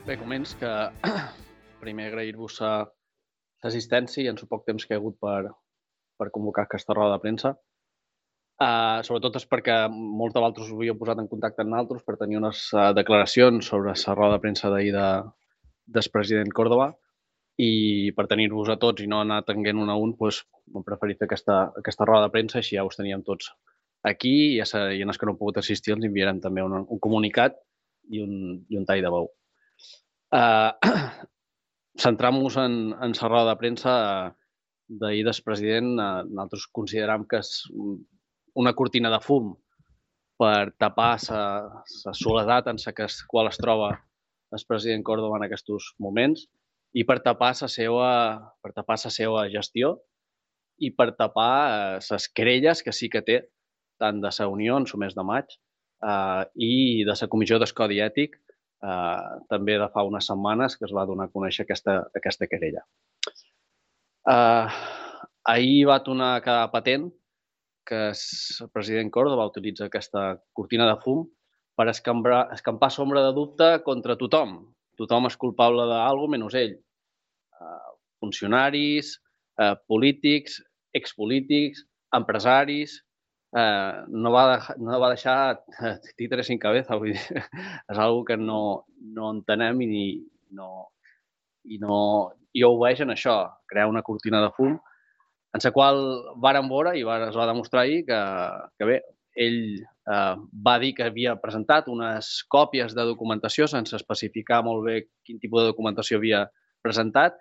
Bé, coments que primer agrair-vos l'assistència i en el poc temps que hi ha hagut per convocar aquesta roda de premsa. Sobretot és perquè molts de vosaltres us havíeu posat en contacte amb nosaltres per tenir unes declaracions sobre la roda de premsa d'ahir del president Córdoba i per tenir-vos a tots i no anar tenint un a un, doncs, hem preferit fer aquesta roda de premsa, així ja us teníem tots aquí i en els que no heu pogut assistir els enviarem també un comunicat i un tall de veu. Centrant-nos en la roda de premsa d'ahir del president, nosaltres consideram que és una cortina de fum per tapar la soledat en la qual es troba el president Córdoba en aquests moments i per tapar la seva gestió i per tapar les querelles que sí que té tant de la Unió en el mes de maig i de la Comissió del Codi Ètic també de fa unes setmanes que es va donar a conèixer aquesta querella. Ahir va tornar a quedar patent que el president Córdoba utilitza aquesta cortina de fum per escampar sombra de dubte contra tothom. Tothom és culpable d'alguna cosa menys ell. Funcionaris, polítics, expolítics, empresaris. No va deixar títeres sin cabeza. Vull dir, és una cosa que no entenem i ho veig en això, crear una cortina de fum en la qual vàrem veure i es va demostrar ahir que bé, ell va dir que havia presentat unes còpies de documentació sense especificar molt bé quin tipus de documentació havia presentat,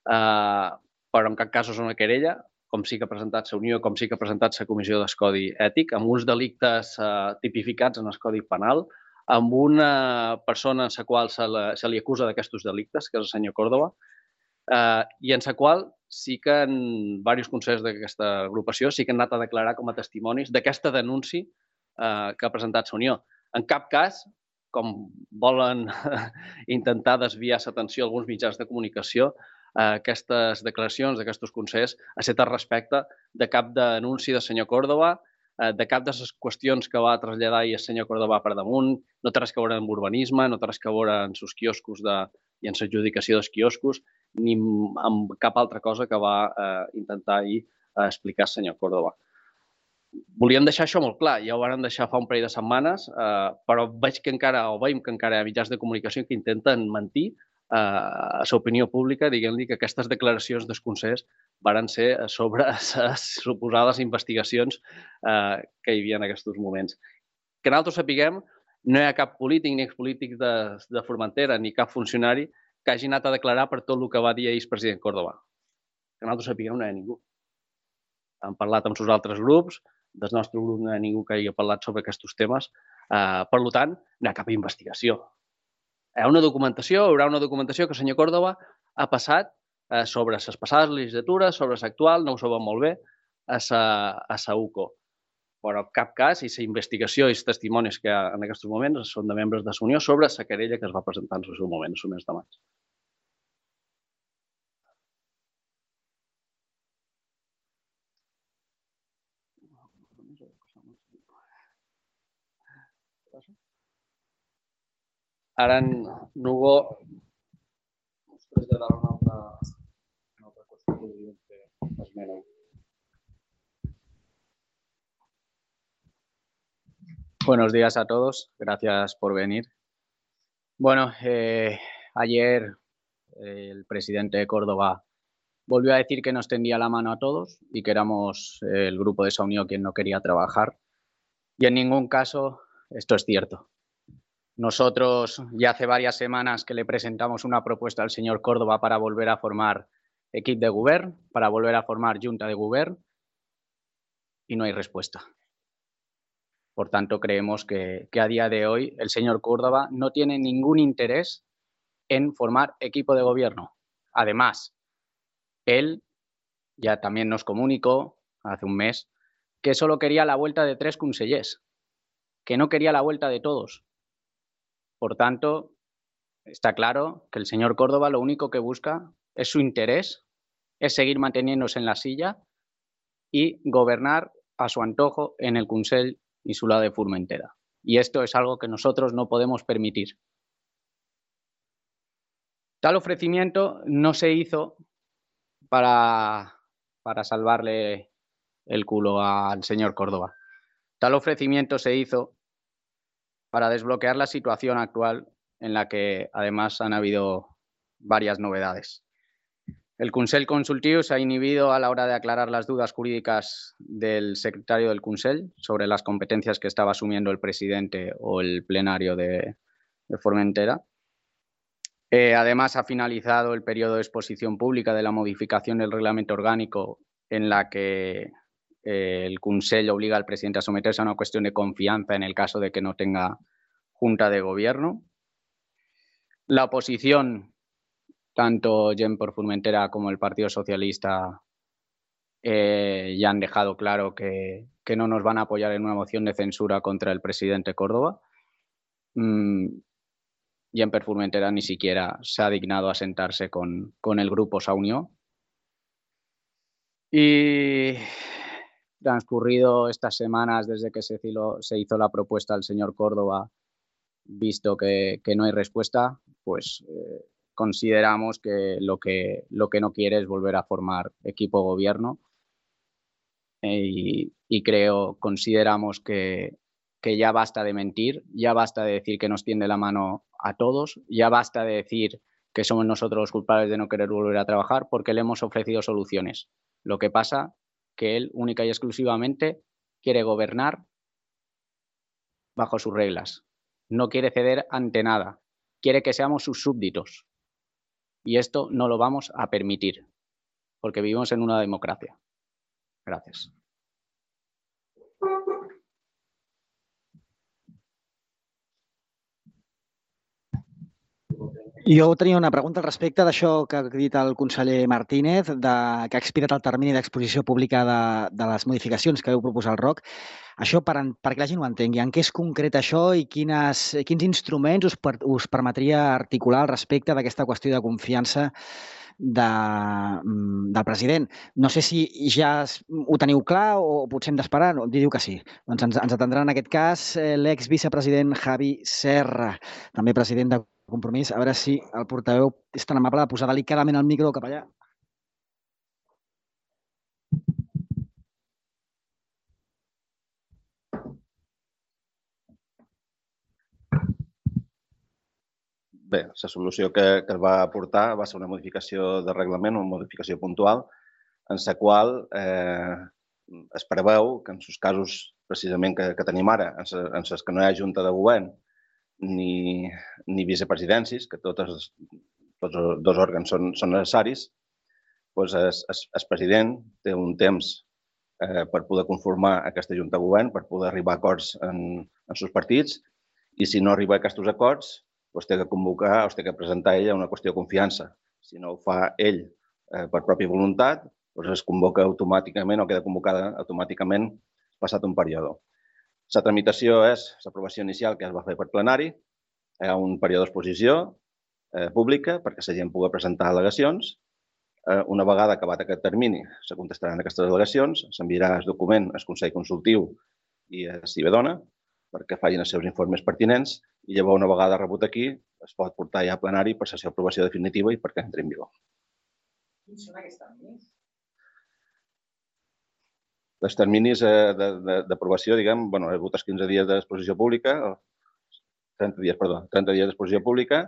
però en cap cas és una querella, com sí que ha presentat la Unió, com sí que ha presentat la Comissió del Codi Ètic, amb uns delictes tipificats en el Codi Penal, amb una persona a la qual se li acusa d'aquests delictes, que és el senyor Córdoba, i en la qual sí que en diversos consellers d'aquesta agrupació sí que han anat a declarar com a testimonis d'aquesta denúncia que ha presentat la Unió. En cap cas, com volen intentar desviar l'atenció a alguns mitjans de comunicació, aquestes declaracions d'aquests consellers ha estat al respecte de cap denúncia del senyor Córdoba, de cap de les qüestions que va traslladar el senyor Córdoba per damunt, no té res a veure amb urbanisme, no té res a veure amb els quioscos i en l'adjudicació dels quioscos, ni amb cap altra cosa que va intentar ahir explicar el senyor Córdoba. Volíem deixar això molt clar, ja ho vam deixar fa un parell de setmanes, però veig que encara hi ha mitjans de comunicació que intenten mentir a l'opinió pública, dient-li que aquestes declaracions dels consellers van ser sobre les suposades investigacions que hi havia en aquests moments. Que nosaltres sapiguem, no hi ha cap polític ni expolític de Formentera ni cap funcionari que hagi anat a declarar per tot el que va dir ahir el president Córdoba. Que nosaltres sapiguem, no hi ha ningú. Hem parlat amb els altres grups, del nostre grup no hi ha ningú que hagi parlat sobre aquests temes. Per tant, no hi ha cap investigació. Hi haurà una documentació que el senyor Córdoba ha passat sobre les passades legislatures, sobre l'actual, no ho sabem molt bé, a la UCO. Però en cap cas, i la investigació i els testimonis que hi ha en aquests moments són de membres de la Unió sobre la querella que es va presentar en el seu moment, el mes de maig. Ara en Hugo us traslladarà una altra qüestió que volíem fer esmena. Buenos días a todos, gracias por venir. Bueno, ayer el presidente de Córdoba volvió a decir que nos tendía la mano a todos y que éramos el grupo de esa Unión quien no quería trabajar. Y en ningún caso esto es cierto. Nosotros ya hace varias semanas que le presentamos una propuesta al señor Córdoba para volver a formar equipo de govern, para volver a formar junta de govern, y no hay respuesta. Por tanto, creemos que a día de hoy el señor Córdoba no tiene ningún interés en formar equipo de gobierno. Además, él ya también nos comunicó hace un mes que solo quería la vuelta de 3 consellers, que no quería la vuelta de todos. Por tanto, está claro que el señor Córdoba lo único que busca es su interés, es seguir manteniéndose en la silla y gobernar a su antojo en el Consell Insular de Formentera. Y esto es algo que nosotros no podemos permitir. Tal ofrecimiento no se hizo para salvarle el culo al señor Córdoba. Tal ofrecimiento se hizo para desbloquear la situación actual en la que además han habido varias novedades. El Consell Consultiu se ha inhibido a la hora de aclarar las dudas jurídicas del secretario del Consell sobre las competencias que estaba asumiendo el presidente o el plenario de Formentera. Además, ha finalizado el periodo de exposición pública de la modificación del reglamento orgánico en la que el Consell obliga al presidente a someterse a una cuestión de confianza en el caso de que no tenga junta de gobierno. La oposición, tanto Gent per Formentera como el Partido Socialista, ya han dejado claro que no nos van a apoyar en una moción de censura contra el presidente Córdoba. Gent per Formentera ni siquiera se ha dignado a sentarse con el grupo Saunió. Y transcurrido estas semanas desde que se hizo la propuesta al señor Córdoba, visto que no hay respuesta, pues consideramos que lo que no quiere es volver a formar equipo gobierno y consideramos que ya basta de mentir, ya basta de decir que nos tiende la mano a todos, ya basta de decir que somos nosotros los culpables de no querer volver a trabajar porque le hemos ofrecido soluciones. Lo que pasa que él única y exclusivamente quiere gobernar bajo sus reglas. No quiere ceder ante nada. Quiere que seamos sus súbditos. Y esto no lo vamos a permitir, porque vivimos en una democracia. Gracias. Jo tenia una pregunta al respecte d'això que ha dit el conseller Martínez, que ha expirat el termini d'exposició pública de les modificacions que vau proposar al ROC. Això, perquè la gent ho entengui, en què és concret això i quins instruments us permetria articular al respecte d'aquesta qüestió de confiança del president? No sé si ja ho teniu clar o potser hem d'esperar. Diu que sí. Doncs ens atendrà en aquest cas l'exvicepresident Javi Serra, també president de Compromís. A veure si el portaveu és tan amable de posar delicadament el micro cap allà. Bé, la solució que es va aportar va ser una modificació de reglament, una modificació puntual, en la qual es preveu que en els casos precisament que tenim ara, en els que no hi ha junta de govern ni vicepresidències, que tots els dos òrgans són necessaris, doncs el president té un temps per poder conformar aquesta junta de govern, per poder arribar a acords en els partits, i si no arriba a aquests acords, té que convocar o té que presentar ella una qüestió de confiança. Si no ho fa ell per pròpia voluntat, es convoca automàticament o queda convocada automàticament passat un període. La tramitació és l'aprovació inicial que es va fer per plenari, hi ha un període d'exposició pública perquè la gent pugui presentar al·legacions. Una vegada acabat aquest termini, se contestaran aquestes al·legacions, s'enviarà el document al Consell Consultiu i a Cibedona perquè facin els seus informes pertinents i llavors, una vegada rebut aquí, es pot portar ja a plenari per la seva aprovació definitiva i perquè entri en vigor. Quins són aquests terminis? Els terminis d'aprovació, diguem, hi ha hagut els 15 dies d'exposició pública, 30 dies d'exposició pública,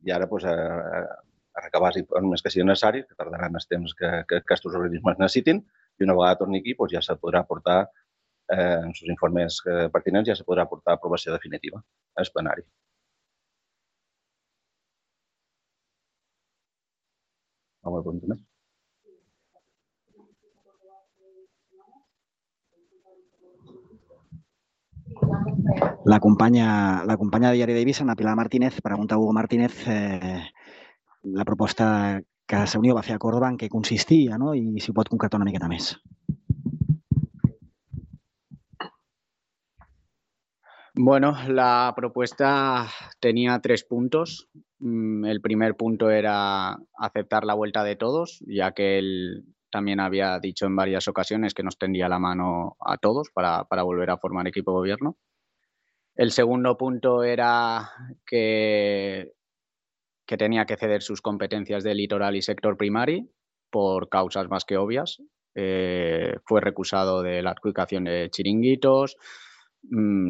i ara a recabar els informes que siguin necessaris, que tardaran el temps que aquests organismes necessitin, i una vegada torni aquí ja se podrà portar en els informes pertinents, ja se podrà portar a aprovació definitiva al plenari. Alguna pregunta més? La companya de Diari d'Eivissa, Ana Pilar Martínez, pregunta a Hugo Martínez la proposta que Saunió va fer a Córdoba en què consistia i si ho pot concretar una miqueta més. Bueno, la propuesta tenía 3 puntos. El primer punto era aceptar la vuelta de todos, ya que él también había dicho en varias ocasiones que nos tendía la mano a todos para volver a formar equipo de gobierno. El segundo punto era que que tenía que ceder sus competencias de litoral y sector primari por causas más que obvias. Fue recusado de la adjudicación de chiringuitos.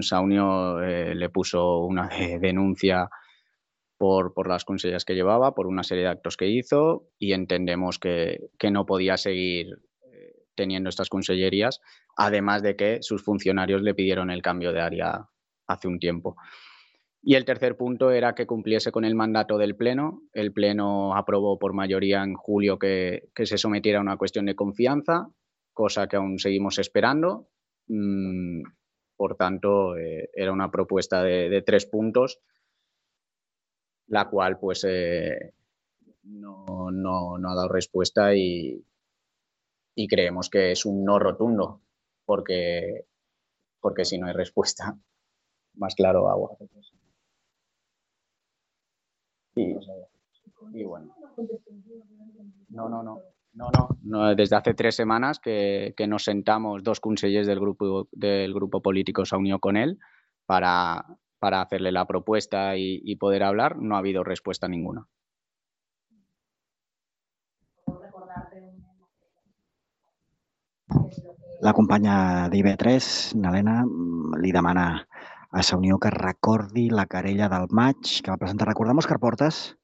Saunió le puso una denuncia por las consellerías que llevaba, por una serie de actos que hizo, y entendemos que no podía seguir teniendo estas consellerías, además de que sus funcionarios le pidieron el cambio de área hace un tiempo. Y el tercer punto era que cumpliese con el mandato del Pleno. El Pleno aprobó por mayoría en julio que se sometiera a una cuestión de confianza, cosa que aún seguimos esperando. Por tanto, era una propuesta de 3 puntos, la cual pues no ha dado respuesta y creemos que es un no rotundo, porque si no hay respuesta, más claro agua. Y bueno, no, desde hace 3 semanas que nos sentamos 2 consellers del grupo político Saunió con él para hacerle la propuesta y poder hablar. No ha habido respuesta ninguna. La companya d'IV3, Nalena, li demana a Saunió que recordi la querella del maig que va presentar. Recordem, Òscar Portes,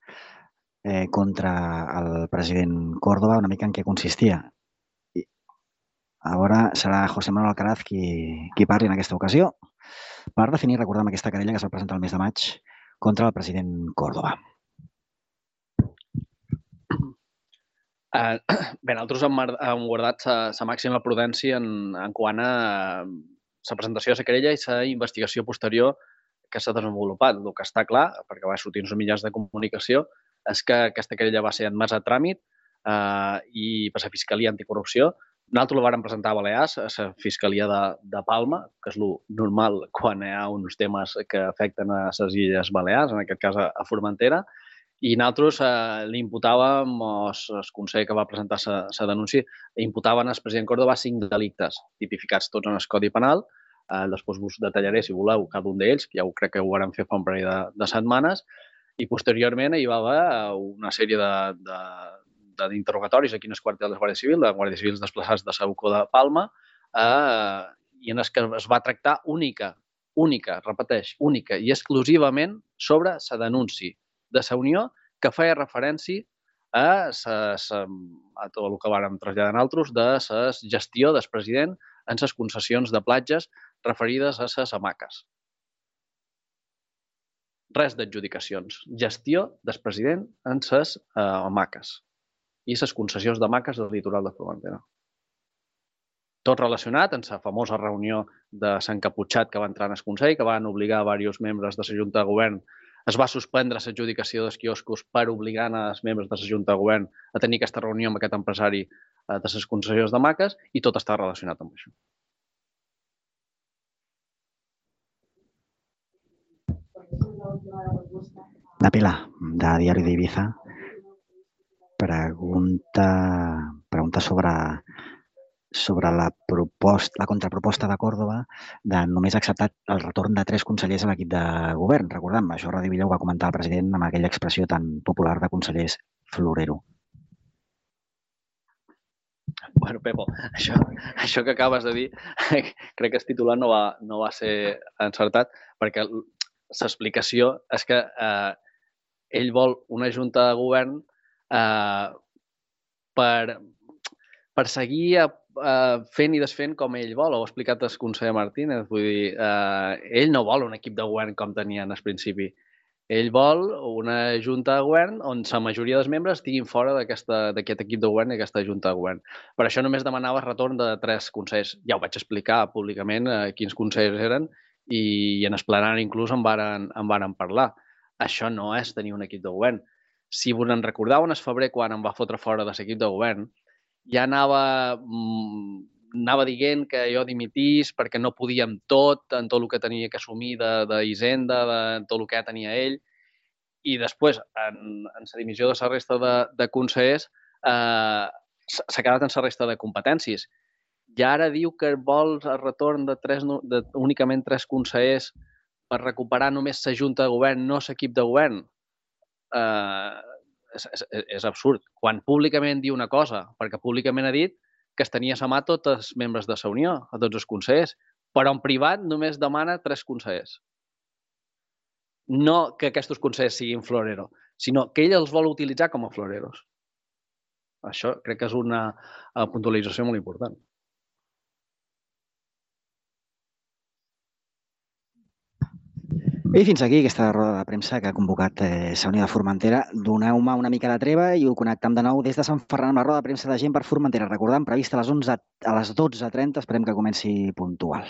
contra el president Córdoba, una mica en què consistia. Ara serà José Manuel Alcaraz qui parli en aquesta ocasió per definir, recordem, aquesta querella que es va presentar el mes de maig contra el president Córdoba. Bé, nosaltres hem guardat la màxima prudència en quant a la presentació de la querella i la investigació posterior que s'ha desenvolupat. El que està clar, perquè va sortir als mitjans de comunicació, és que aquesta querella va ser admesa a tràmit i per la Fiscalia Anticorrupció. Nosaltres la vàrem presentar a Balears, a la Fiscalia de Palma, que és el normal quan hi ha uns temes que afecten a les Illes Balears, en aquest cas a Formentera, i nosaltres li imputàvem, el Consell que va presentar la denúncia, imputaven al president Córdoba 5 delictes tipificats tots en el Codi Penal. Després us detallaré, si voleu, cada un d'ells, que ja crec que ho vam fer fa un parell de setmanes, i posteriorment hi va haver una sèrie d'interrogatoris aquí en el quartel de la Guàrdia Civil, de guàrdies civils desplaçats de Sauco de Palma, i en el que es va tractar única, repeteix, única i exclusivament sobre la denúncia de la Unió que feia referència a tot el que vàrem traslladar nosaltres de la gestió del president en les concessions de platges referides a les hamaques. Res d'adjudicacions. Gestió del president en les hamaques i les concessions d'hamaques del litoral de Formentera. Tot relacionat amb la famosa reunió de Sant Caputxat que va entrar en el Consell, que van obligar diversos membres de la Junta de Govern. Es va suspendre l'adjudicació dels quioscos per obligar els membres de la Junta de Govern a tenir aquesta reunió amb aquest empresari de les concessions d'hamaques i tot està relacionat amb això. La Pilar, de Diari d'Ibiza, pregunta sobre la contraproposta de Córdoba de només acceptar el retorn de 3 consellers a l'equip de govern. Recordem, això Radi Villa ho va comentar el president amb aquella expressió tan popular de consellers florero. Bueno, Pepo, això que acabes de dir, crec que el titular no va ser encertat, perquè l'explicació és que ell vol una junta de govern per seguir fent i desfent com ell vol. Ho ha explicat el conseller Martínez. Vull dir, ell no vol un equip de govern com tenien al principi. Ell vol una junta de govern on la majoria dels membres estiguin fora d'aquest equip de govern i aquesta junta de govern. Per això només demanava el retorn de 3 consellers. Ja ho vaig explicar públicament quins consellers eren i en el plenari inclús en varen parlar. Això no és tenir un equip de govern. Si vos en recordeu, en el febrer, quan em va fotre fora de l'equip de govern, ja anava dient que jo dimitís perquè no podia amb tot, en tot el que tenia que assumir d'Hisenda, de tot el que ja tenia ell. I després, en la dimissió de la resta de consellers, s'ha quedat en la resta de competències. I ara diu que vol el retorn de únicament 3 consellers per recuperar només la junta de govern, no l'equip de govern. és absurd. Quan públicament diu una cosa, perquè públicament ha dit que es tenia a mà tots els membres de la Unió, a tots els consellers, però en privat només demana 3 consellers. No que aquests consellers siguin floreros, sinó que ell els vol utilitzar com a floreros. Això crec que és una puntualització molt important. I fins aquí aquesta roda de premsa que ha convocat la Unió de Formentera. Doneu-me una mica de treva i ho connectem de nou des de Sant Ferran amb la roda de premsa de gent per Formentera. Recordant, prevista a les 12:30, esperem que comenci puntual.